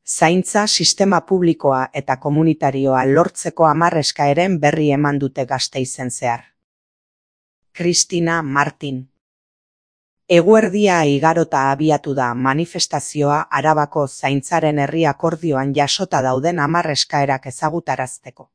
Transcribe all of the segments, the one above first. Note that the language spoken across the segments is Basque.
Zaintza sistema publikoa eta komunitarioa lortzeko 10 eskaeren berri eman dute Gasteizen zehar. Cristina Martin. Eguerdia igarota abiatu da manifestazioa Arabako zaintzaren herri akordioan jasota dauden 10 eskaerak ezagutarazteko.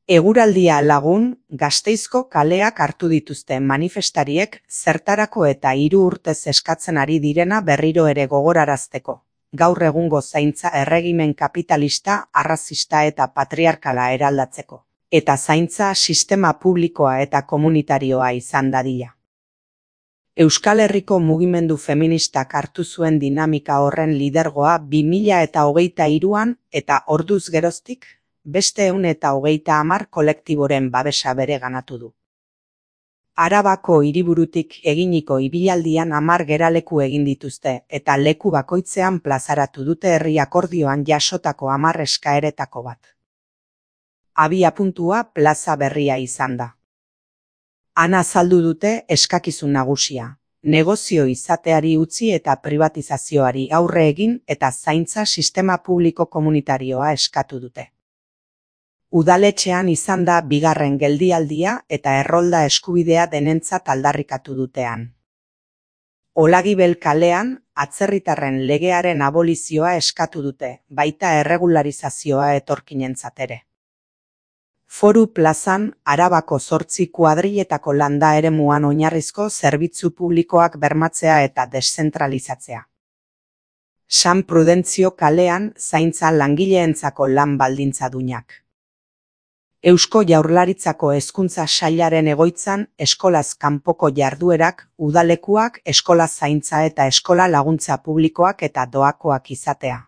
Eguraldia lagun, Gasteizko kaleak hartu dituzte manifestariek zertarako eta 3 urtez eskatzen ari direna berriro ere gogorarazteko. Gaur egungo zaintza erregimen kapitalista, arrazista eta patriarkala eraldatzeko, eta zaintza sistema publikoa eta komunitarioa izan dadila. Euskal Herriko mugimendu feministak hartu zuen dinamika horren lidergoa 2023an eta orduz geroztik, beste 130 kolektiboren babesa bereganatu du. Arabako hiriburutik eginiko ibilaldian 10 geraleku egin dituzte eta leku bakoitzean plazaratu dute herri akordioan jasotako 10 eskaeretako bat. Abiapuntua plaza berria izan da. Han azaldu dute eskakizun nagusia, negozio izateari utzi eta privatizazioari aurre egin eta zaintza sistema publiko komunitarioa eskatu dute. Udaletxean izan da bigarren geldialdia eta errolda eskubidea denentzat aldarrikatu dutean. Olagibel kalean, atzerritarren legearen abolizioa eskatu dute, baita erregularizazioa etorkinentzat ere. Foru plazan, Arabako 8 kuadriletako landa eremuan oinarrizko zerbitzu publikoak bermatzea eta deszentralizatzea. San Prudentzio kalean, zaintza langileentzako lan baldintza duinak. Eusko Jaurlaritzako hezkuntza sailaren egoitzan eskolaz kanpoko jarduerak, udalekuak, eskola zaintza eta eskola laguntza publikoak eta doakoak izatea.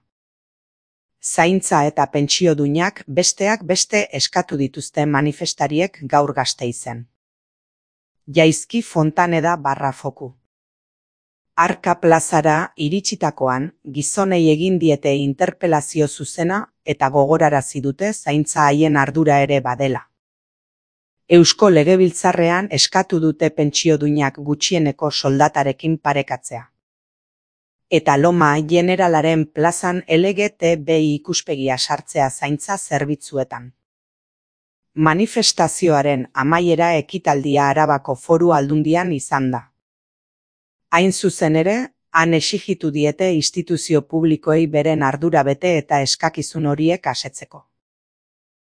Zaintza eta pentsioduinak besteak beste eskatu dituzte manifestariek gaur Gasteizen. Jaizki Fontaneda /Foku. Arka plazara iritsitakoan, gizonei egin diete interpelazio zuzena eta gogorarazi dute zaintza haien ardura ere badela. Eusko Legebiltzarrean eskatu dute pentsioduinak gutxieneko soldatarekin parekatzea. Eta Loma Generalaren plazan LGTBI ikuspegia sartzea zaintza zerbitzuetan. Manifestazioaren amaiera ekitaldia Arabako Foru Aldundian izan da. Hain zuzen ere, han exigitu diete instituzio publikoei beren ardura bete eta eskakizun horiek asetzeko.